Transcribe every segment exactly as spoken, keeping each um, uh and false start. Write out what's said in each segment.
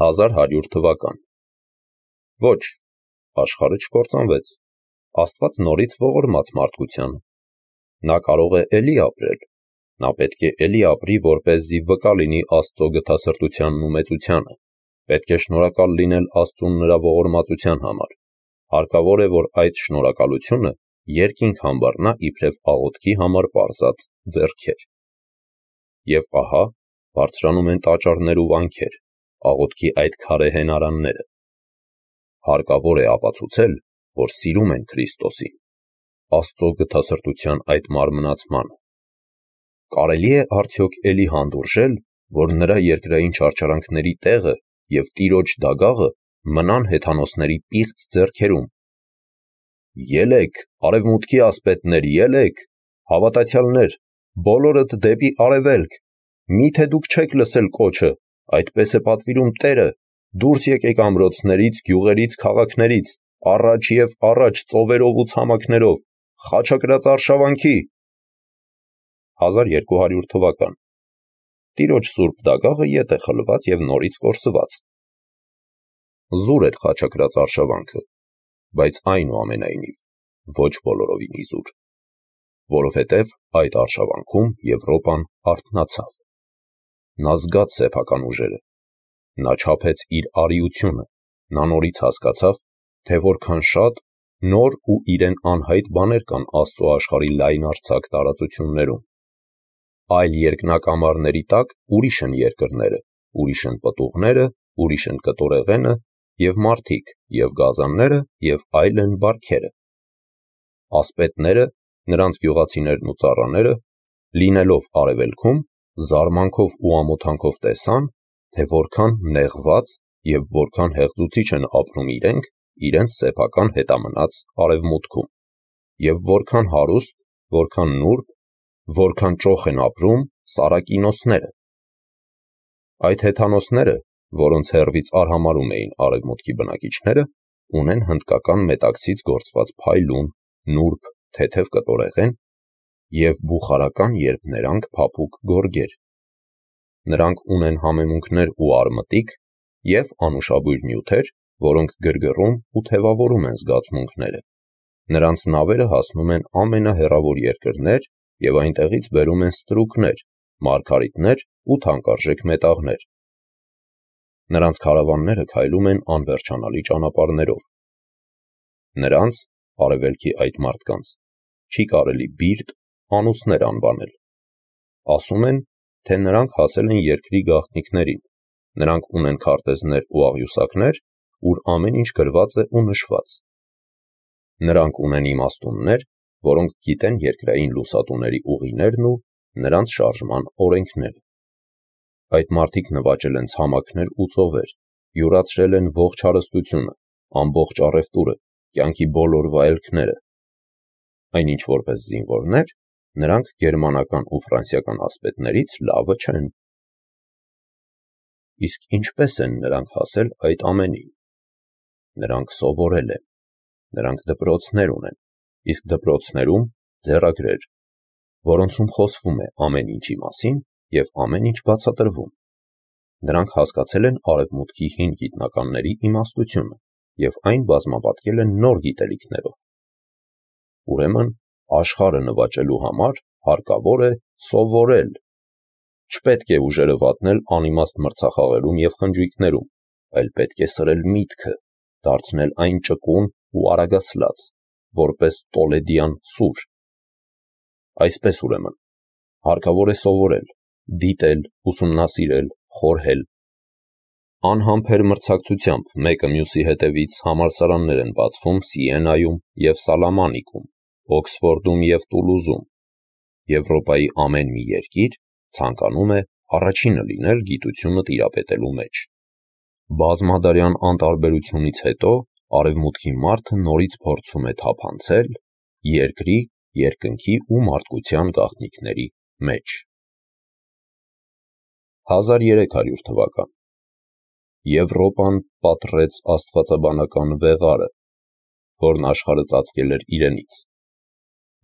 հազար հարյուր թվական։ Ոչ, աշխարհը չկործանվեց, Աստված նորից ողորմաց մարդկությանը։ Նա կարող է էլի ապրել, նա պետք է էլի ապրի, որպեսզի վկա լինի Աստծո գթասրտությանն ու մեծությանը, պետք է շնորհակալ լինել Աստծուն նրա ողորմածության համար, հարկավոր է, որ այդ շնորհակալությունը երկինք համբառնա իբրև աղոթքի համար պարզած ձեռքեր։ Եվ ահա, բարձրանում են տաճարներ ու վանքեր, աղոթքի այդ քարե հենարանները։ Հարկավոր է ապացուցել, որ սիրում են Քրիստոսին, Աստծո գթասրտության այդ մարմնացմանը։ Կարելի է արդյոք էլի հանդուրժել, որ նրա երկրային չարչարանքների տեղը և Տիրոջ դագաղը մնան հեթանոսների պիղծ ձեռքերում։ Ելեք, արևմուտքի ասպետներ, ելեք, հավատացյալներ, բոլորդ դեպի արևելք, միթե դուք չեք լսել կոչը, այդպես է պատվիրում Տերը, դուրս եկեք ամրոցներից, գյուղերից, քաղաքներից, առաջ և առաջ ծովերով ու ցամաքներով, խաչակրաց արշավանքի։ հազար երկու հարյուր թվական։ Տիրոջ սուրբ դագաղը ետ է խլված և նորից կորսված։ Զուր էր խաչակրաց արշավանքը, բայց այնուամենայնիվ ոչ բոլորովին իզուր, որովհետև այդ արշավանքում Եվրոպան արթնացավ։ Նա զգաց սեփական ուժերը, նա չափեց իր արիությունը, նա նորից հասկացավ, թե որքան շատ նոր ու իրեն անհայտ բաներ կան Աստծո աշխարհի լայնարձակ տարածություններում։ Այլ երկնակամարների տակ ուրիշ են երկրները, ուրիշ են պտուղները, ուրիշ են կտորեղենը և մարդիկ, և գազանները, և այլ են բարքերը։ Ասպետները, նրանց գյուղացիներն ու ծառաները, լինելով արևելքում, զարմանքով ու ամոթանքով տեսան, թե որքան նեղված և որքան հեղձուցիչ են ապրում իրենք իրենց սեփական հետամնաց արևմուտքում, և որքան հարուստ, որքան նուրբ, որքան ճոխ են ապրում սարակինոսները։ Այդ հեթանոսները, որոնց հեռվից արհամարհում էին արևմուտքի բնակիչները, ունեն հնդկական մետաքսից գործված փայլուն, նուրբ, թեթև կտորեղեն և բուխարական երբ ներանք փափուկ գորգեր։ Նրանք ունեն համեմունքներ ու արմտիկ և անուշաբույր նյութեր, որոնք գրգռում ու թևավորում են զգացմունքները։ Նրանց նավերը հասնում են ամենահեռավոր երկրներ և այնտեղից բերում են ստրուկներ, մարգարիտներ ու թանկարժեք մետաղներ։ Նրանց քարավանները քայլում են անվերջանալի ճանապարհներով։ Նրանց, արևելքի այդ մարդկանց, չի կարելի բիրտ, անուսներ անվանել։ Ասում են, թե նրանք հասել են երկրի գաղտնիքներին, նրանք ունեն քարտեզներ ու աղյուսակներ, ուր ամեն ինչ գրված է ու նշված։ Նրանք ունեն իմաստուններ, որոնք գիտեն երկրային լուսատուների ուղիներն ու նրանց շարժման օրենքները։ Այդ մարդիկ նվաճել են ցամաքներ ու ծովեր, յուրացրել են ողջ հարստությունը, ամբողջ առևտուրը, կյանքի բոլոր վայելքները։ Այնինչ որպես զինվորներ, նրանք գերմանական ու ֆրանսիական ասպետներից լավը չեն։ Իսկ ինչպե՞ս են նրանք հասել այդ ամենին։ Նրանք սովորել են, նրանք դպրոցներ ունեն, իսկ դպրոցներում ձեռագրեր, որոնցում խոսվում է ամեն ինչի մասին և ամեն ինչ բացատրվում։ Նրանք հասկացել են արևմուտքի հին գիտնականների իմաստությունը և այն բազմապատկել են նոր գիտելիքներով։ Ուրեմն, աշխարհը նվաճելու համար հարկավոր է սովորել։ Չպետք է ուժերը վատնել անիմաստ մրցախաղերում և խնջույքներում, այլ պետք է սրել միտքը, դարձնել այն ճկուն ու արագասլաց, որպես տոլեդյան սուր։ Այսպես ուրեմն, հարկավոր է սովորել, դիտել, ուսումնասիրել, խորհել։ Անհամբեր մրցակցությամբ մեկը մյուսի հետևից համալսարաններ են բացվում Սիենայում և Սալամանիկում, Օքսֆորդում և Տուլուզում։ Եվրոպայի ամեն մի երկիր ցանկանում է առաջինը լինել գիտությունը տիրապետելու մեջ։ Բազմադարյան անտարբերությունից հետո արևմուտքի մարդը նորից փորձում է թափանցել երկրի, երկնքի ու մարդկության գաղտնիքների մեջ։ հազար երեք հարյուր թվական։ Եվրոպան պատռեց աստվածաբանական վեղարը, որն աշխարհը ծածկել էր իրենից։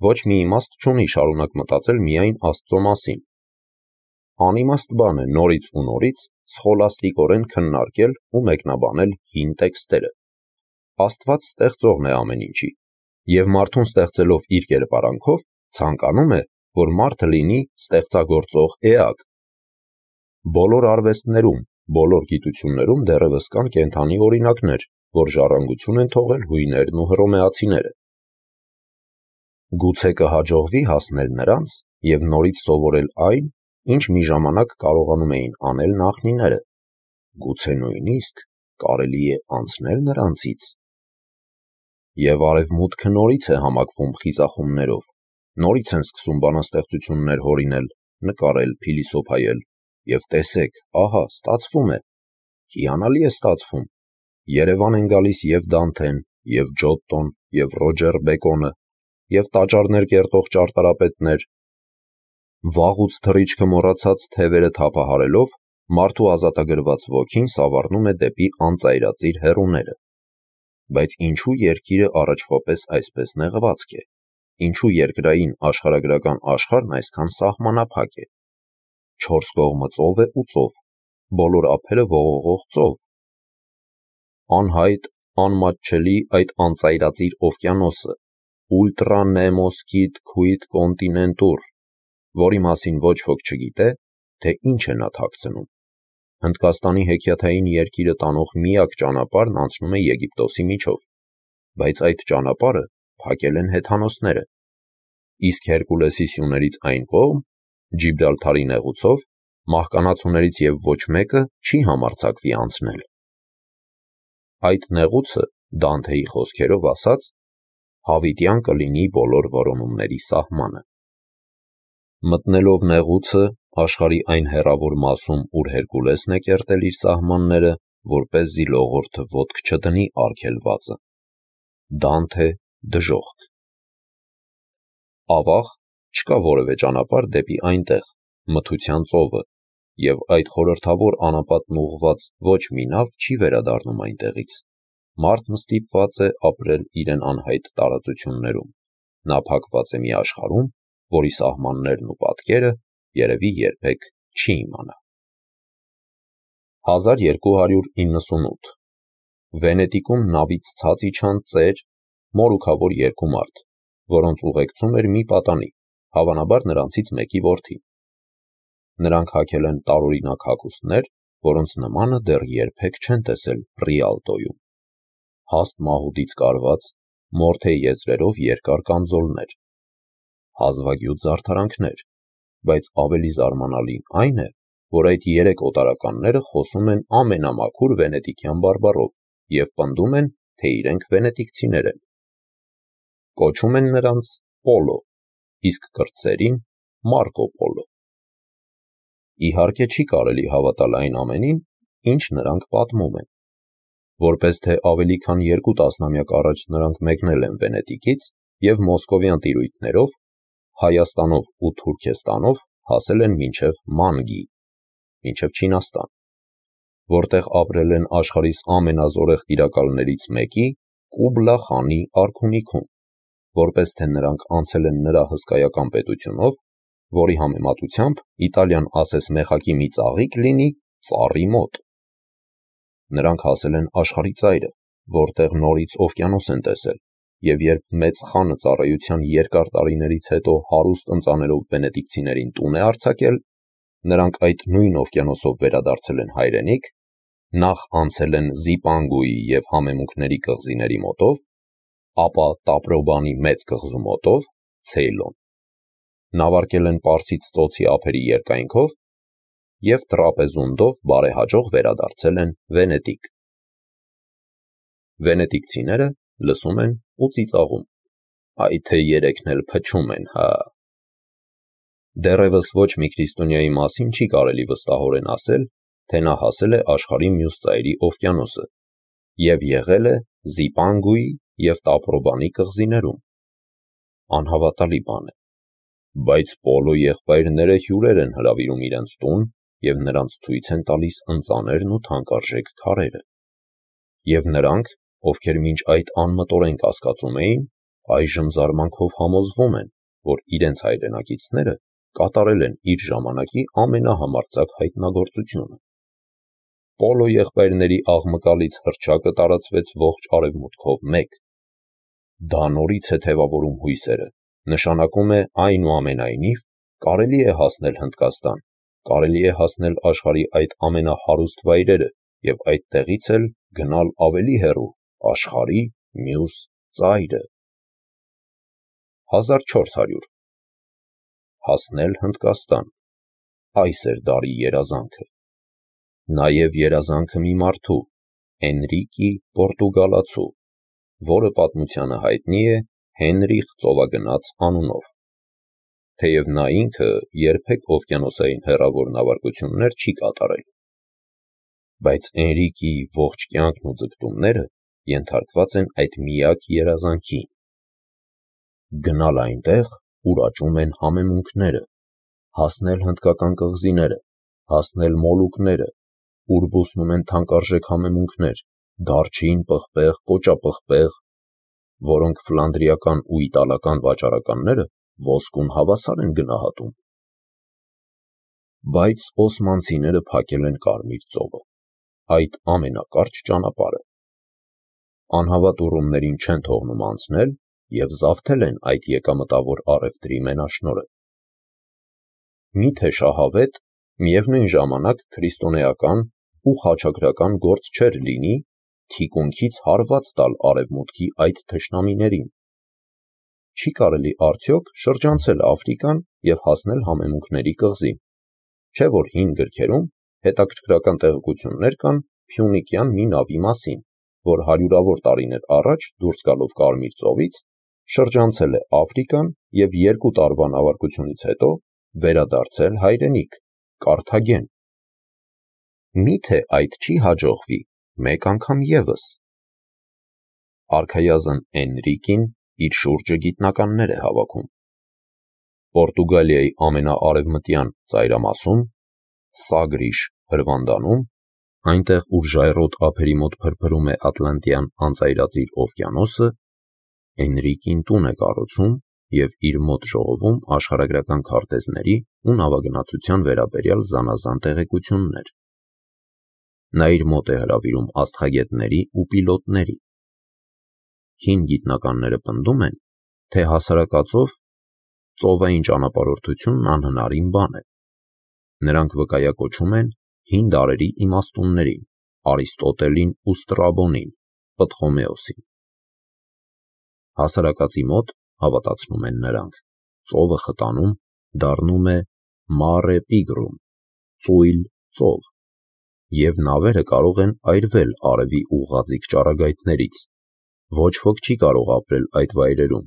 Ոչ մի իմաստ չունի շարունակ մտածել միայն Աստծո մասին։ Անիմաստ բան է նորից ու նորից սխոլաստիկորեն քննարկել ու մեկնաբանել հին տեքստերը։ Աստված ստեղծողն է ամեն ինչի, և մարդուն ստեղծելով իր կերպարանքով, ցանկանում է, որ մարդը լինի ստեղծագործող էակ։ Բոլոր արվեստներում, բոլոր գիտություններում դեռևս կան կենդանի օրինակներ, որ ժառանգություն են թողել հույներն ու հռոմեացիները։ Գուցե կհաջողվի հասնել նրանց և նորից սովորել այն, ինչ մի ժամանակ կարողանում էին անել նախնիները։ Գուցե նույնիսկ կարելի է անցնել նրանցից։ Եվ արևմուտքը նորից է համակվում խիզախումներով, նորից են սկսում բանաստեղծություններ հորինել, նկարել, փիլիսոփայել, և տեսեք, ահա, ստացվում է, հիանալի է ստացվում, Երևան են գալիս և Դանթեն, և Ջոտտոն, և Ռոջեր Բեկոնը, և տաճարներ կերտող ճարտարապետներ։ Վաղուց թռիչքը մոռացած թևերը թափահարելով, մարդու ազատագրված ոգին սավառնում է դեպի անծայրածիր հեռուները։ Բայց ինչու երկիրը առաջվա պես այսպես նեղվածք է, ինչու երկրային աշխարհագրական աշխարհն այսքան սահմանափակ է։ Չորս կողմը ծով է ու ծով, բոլոր ափերը ողողող ծով։ Անհայտ, անմատչելի այդ անծայրածիր օվկիանոսը, Ultra Nemos Quid Quid Continentur, որի մասին ոչ ոք չգիտե, թե ինչ է նա թաքցնում։ Հնդկաստանի հեքիաթային երկիրը տանող միակ ճանապարհն անցնում է Եգիպտոսի միջով, բայց այդ ճանապարհը փակել են հեթանոսները, իսկ Հերկուլեսի սյուներից այն կողմ, Ջիբրալթարի նեղուցով, մահկանացուներից և ոչ մեկը չի համարձակվի անցնել։ Այդ նեղուցը, Դանթեի խոսքերով ասած, հավիտյան կլինի բոլոր որոնումների սահմանը։ Մտնելով նեղուցը աշխարհի այն հեռավոր մասում, ուր Հերկուլեսն է կերտել իր սահմանները, որպեսզի լողորդը ոտք չդնի արգելվածը։ Դանթե դժոխք։ Ավաղ չկա որևէ ճանապարհ դեպի այնտեղ, մթության ծովը, և այդ խորհրդավոր անապատն ուղղված ոչ մի նավ չի վերադառնում այնտեղից։ Մարդն ստիպված է ապրել իրեն անհայտ տարածություններում, նա փակված է մի աշխարհում, որի սահմաններն ու պատկերը երևի երբեք չի իմանա։ հազար երկու հարյուր իննսունութ Վենետիկում նավից ցած իջան ծեր, մորուքավոր երկու մարդ, որոնց ուղեկցում էր մի պատանի, հավանաբար նրանցից մեկի որդին։ Նրանք հագել են տարօրինակ հագուստներ, որոնց նմանը դեռ երբեք չեն տեսել Ռիալտոյում։ Հաստ մահուդից կարված, մորթե եզրերով երկար կամզոլներ, հազվագյուտ զարդարանքներ, բայց ավելի զարմանալին այն է, որ այդ երեք օտարականները խոսում են ամենամաքուր վենետիկյան բարբառով և պնդում են, թե իրենք վենետիկցիներ են։ Կոչում են նրանց Պոլո, իսկ կրտսերին Մարկո Պոլո։ Իհարկե չի կարելի հավատալ այն ամենին, ինչ նրանք պատմում են։ Որպես թե ավելի քան երկու տասնամյակ առաջ նրանք մեկնել են Վենետիկից և մոսկովյան տիրույթներով, Հայաստանով ու Թուրքեստանով հասել են մինչև Մանգի, մինչև Չինաստան, որտեղ ապրել են աշխարհիս ամենազորեղ տիրակալներից մեկի՝ Կուբլա խանի արքունիքում, որպես թե նրանք անցել են նրա հսկայական պետությունով, որի համեմատությամբ Իտալիան ասես մեխակի մի ծաղիկ լինի ծառի մոտ։ Նրանք հասել են աշխարհի ծայրը, որտեղ նորից օվկիանոս են տեսել, և երբ մեծ խանը ծառայության երկար տարիներից հետո հարուստ ընծաներով վենետիկցիներին տուն է արձակել, նրանք այդ նույն օվկիանոսով վերադարձել են հայրենիք, նախ անցել են Զիպանգուի և Համեմունքների կղզիների մոտով, ապա Տապրոբանի մեծ կղզու մոտով, Ցեյլոն, նավարկել են Պարսից ծոցի ափերի երկայնքով և տրապեզունդով բարեհաջող վերադարձել են Վենետիկ։ Վենետիկցիները լսում են ու ծիծաղում. «Այ թե երեքն էլ փչում են, հա»։ Դեռևս ոչ մի քրիստոնյայի մասին չի կարելի վստահորեն ասել, թե նա հասել է աշխարհի մյուս ծայրի օվկիանոսը և եղել է Զիպանգուի և Տապրոբանի կղզիներում։ Անհավատալի բան է, բայց Պոլո եղբայրները հյուրեր են հրավիրում իրենց տուն և նրանց ցույց են տալիս ընծաներն ու թանկարժեք քարերը։ Եվ նրանք, ովքեր մինչ այդ անմտորեն կասկածում էին, այժմ զարմանքով համոզվում են, որ իրենց հայրենակիցները կատարել են իր ժամանակի ամենահամարձակ հայտնագործությունը։ Պոլո եղբայրների աղմկալից հռչակը տարածվեց ողջ արևմուտքով մեկ։ Դա նորից է թևավորում հույսերը, նշանակում է այնուամենայնիվ կարելի է հասնել Հնդկաստան, կարելի է հասնել աշխարհի այդ ամենահարուստ վայրերը և այդտեղից էլ գնալ ավելի հեռու, աշխարհի մյուս ծայրը։ հազար չորս հարյուր Հասնել Հնդկաստան, այս էր դարի երազանքը։ Նաև երազանքը մի մարդու, Էնրիկի Պորտուգալացու, որը պատմությանը հայտնի է Հենրիխ Ծովագնաց անունով։ Թեև նա ինքը երբեք օվկիանոսային հեռավոր նավարկություններ չի կատարել, բայց Էնրիկի ողջ կյանքն ու ձգտումները ենթարկված են այդ միակ երազանքին։ Գնալ այնտեղ, ուր աճում են համեմունքները, հասնել հնդկական կղզիները, հասնել Մոլուկները, ուր բուսնում են թանկարժեք համեմունքներ, դարչին, պղպեղ, կոճապղպեղ, որոնք ֆլանդրիական ու իտալական վաճառականները ոսկուն հավասար են գնահատում։ Բայց օսմանցիները փակել են Կարմիր ծովը, այդ ամենակարճ ճանապարհը։ Անհավատ ուռումներին չեն թողնում անցնել և զավթել են այդ եկամտավոր առևտրի մենաշնորհը։ Միթե շահավետ, միևնույն ժամանակ քրիստոնեական ու խաչակրական գործ չէր լինի թիկունքից հարված տալ արևմուտքի այդ թշնամիներին։ Չի կարելի արդյոք շրջանցել Աֆրիկան և հասնել համեմունքների կղզին, չէ՞ որ հին գրքերում հետաքրքրական տեղեկություններ կան փյունիկյան մի նավի մասին, որ հարյուրավոր տարիներ առաջ դուրս գալով Կարմիր ծովից շրջանցել է Աֆրիկան և երկու տարվա նավարկությունից հետո վերադարձել հայրենիք, Կարթագեն։ Միթե այդ չի հաջողվի մեկ անգամ ևս։ Արքայազն Էնրիկին իր շուրջը գիտնականներ է հավաքում։ Պորտուգալիայի ամենաարևմտյան ծայրամասում, Սագրիշ հրվանդանում, այնտեղ ուր ժայռոտ ափերի մոտ փրփրում է Ատլանտյան անծայրածիր օվկիանոսը, Էնրիկին տուն է կառուցում և իր մոտ ժողովում աշխարհագրական քարտեզների ու նավագնացության վերաբերյալ զանազան տեղեկություններ։ Նա իր մոտ է հրավիրում աստղագետների ու պիլոտների։ Հին գիտնականները պնդում են, թե հասարակածով ծովային ճանապարհորդությունն անհնարին բան է։ Նրանք վկայակոչում են հին դարերի իմաստուններին՝ Արիստոտելին ու Ստրաբոնին, Պտղոմեոսին։ Հասարակածի մոտ, հավատացնում են նրանք, ծովը խտանում դառնում է Mare Pigrum, ծույլ ծով, և նավերը կարող են այրվել արևի ուղղաձիգ ճառագայթներից, ոչ ոք չի կարող ապրել այդ վայրերում,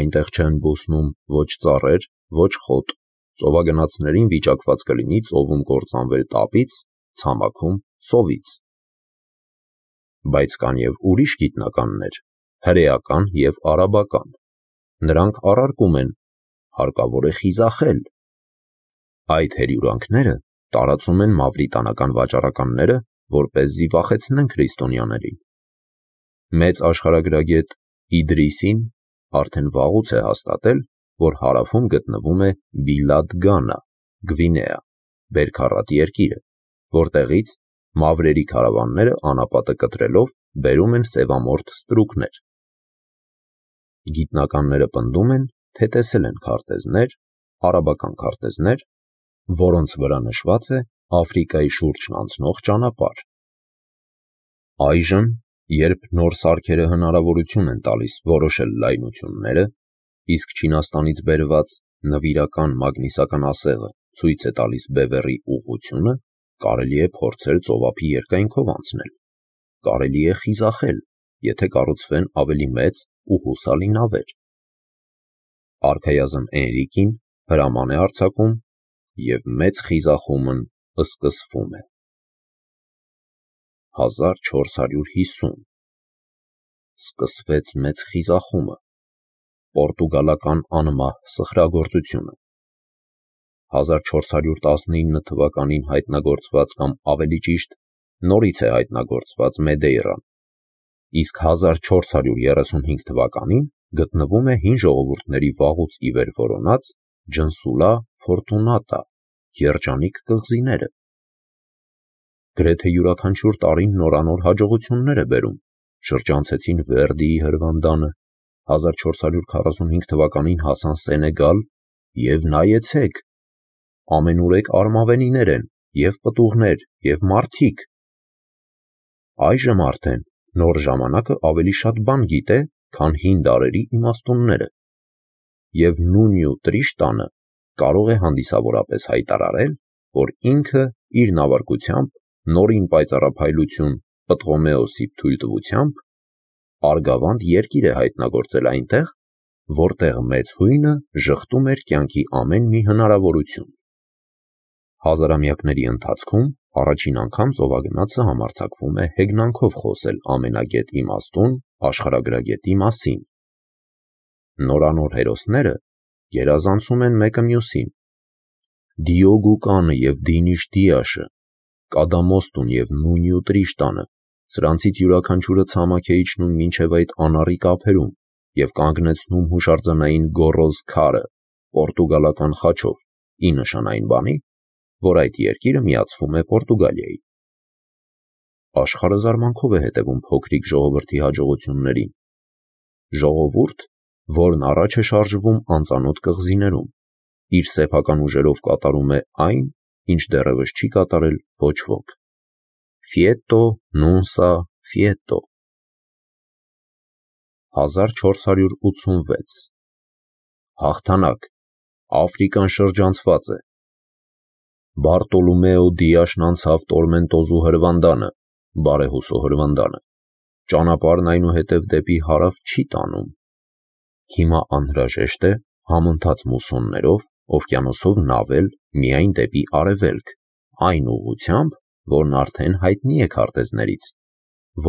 այնտեղ չեն բուսնում ոչ ծառեր, ոչ խոտ, ծովագնացներին վիճակված կլինի ծովում կործանվել տապից, ցամաքում սովից։ Բայց կան և ուրիշ գիտնականներ, հրեական և արաբական, նրանք առարկում են, հարկավոր է խիզախել։ Այդ հրյուրանքները տարածում են մավրիտանական վաճառականները, որպեսզի վախեցնեն քրիստոնյաներին։ Մեծ աշխարհագրագետ Իդրիսին արդեն վաղուց է հաստատել, որ հարավում գտնվում է Բիլադ Գանա, Գվինեա, բերքառատ երկիրը, որտեղից մավրերի քարավանները անապատը կտրելով բերում են սևամորթ ստրուկներ։ Գիտնականները պնդում են, թե տեսել են քարտեզներ, արաբական քարտեզներ, որոնց վրա նշված է Աֆրիկայի շուրջն անցնող ճանապարհ։ Այժմ, երբ նոր սարքերը հնարավորություն են տալիս որոշել լայնությունները, իսկ Չինաստանից բերված նվիրական մագնիսական ասեղը ցույց է տալիս բևեռի ուղղությունը, կարելի է փորձել ծովափի երկայնքով անցնել, կարելի է խիզախել, եթե կառուցվեն ավելի մեծ ու հուսալի նավեր։ Արքայազն Էնրիկին հրաման է արձակում, և մեծ խիզախումն սկսվում է։ հազար չորս հարյուր հիսուն Սկսվեց մեծ խիզախումը, պորտուգալական անմահ սխրագործությունը։ հազար չորս հարյուր տասնինը թվականին հայտնագործված կամ ավելի ճիշտ նորից է հայտնագործված Մեդեյրան, իսկ հազար չորս հարյուր երեսունհինգ թվականին գտնվում է հին ժողովուրդների վաղուց ի վեր որոնած Ջնսուլա Ֆորտունատա, Երջանիկ կղզիները։ Գրեթե յուրաքանչյուր տարին նորանոր հաջողություններ է բերում, շրջանցեցին Վերդիի հրվանդանը, հազար չորս հարյուր քառասունհինգ թվականին հասան Սենեգալ, և նայեցեք, ամենուրեք արմավենիներ են, և պտուղներ, և մարդիկ։ Այժմ արդեն նոր ժամանակը ավելի շատ բան գիտե, քան հին դարերի իմաստունները, և Նունյու Տրիշտանը կարող է հանդիսավորապես հայտարարել, որ ինքը իր նավարկությամբ, նորին պայծառափայլություն Պտղոմեոսի թույլտվությամբ, արգավանդ երկիր է հայտնագործել այնտեղ, որտեղ մեծ հույնը ժխտում էր կյանքի ամեն մի հնարավորություն։ Հազարամյակների ընթացքում առաջին անգամ ծովագնացը համարձակվում է հեգնանքով խոսել ամենագետ իմաստուն աշխարհագրագետի մասին։ Նորանոր հերոսները գերազանցում են մեկը մյուսին։ Դիոգուկանը և Դինիշդիաշը, Կադամոստուն և Նունյու Տրիշտանը, սրանցից յուրաքանչյուրը ցամաք է իջնում մինչև այդ անառիկ ափերում և կանգնեցնում հուշարձանային գոռոզ քարը պորտուգալական խաչով, ի նշան այն բանի, որ այդ երկիրը միացվում է Պորտուգալիային։ Աշխարհը զարմանքով է հետևում փոքրիկ ժողովրդի հաջողություններին։ Ժողովուրդ, որն առաջ է շարժվում անծանոթ կղզիներում, իր սեփական ուժերով կատարում է այն, ինչ դեռևս չի կատարել ոչ ոք։ Ֆիետո նունսա ֆիետո հազար չորս հարյուր ութսունվեց Հաղթանակ, Աֆրիկան շրջանցված է։ Բարտոլոմեո Դիաշն անցավ Տորմենտոզու հրվանդանը, բարեհուսո հրվանդանը, ճանապարհն այնուհետև դեպի հարավ չի տանում։ Հիմա անհրաժեշտ է համընթաց մուսոններով օվկիանոսով նավել միայն դեպի արևելք, այն ուղղությամբ, որն արդեն հայտնի է քարտեզներից,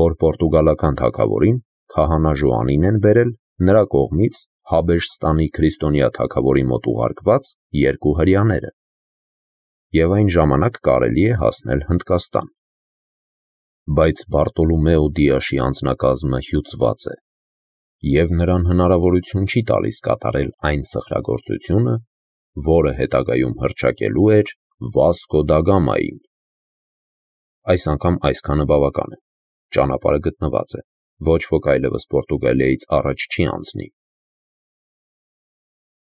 որ պորտուգալական թագավորին քահանա Ժոանին են բերել նրա կողմից Հաբեշստանի քրիստոնյա թագավորի մոտ ուղարկված երկու հրեաները, և այն ժամանակ կարելի է հասնել Հնդկաստան։ Բայց Բարտոլոմեո Դիաշի անձնակազմը հյուծված է, և նրան հնարավորություն չի տալիս կատարել այն սխրագործությունը, որը հետագայում հռչակելու էր Վասկո դա Գամային։ Այս անգամ այսքանը բավական է, ճանապարհը գտնված է, ոչ ոք այլևս Պորտուգալիայից առաջ չի անցնի։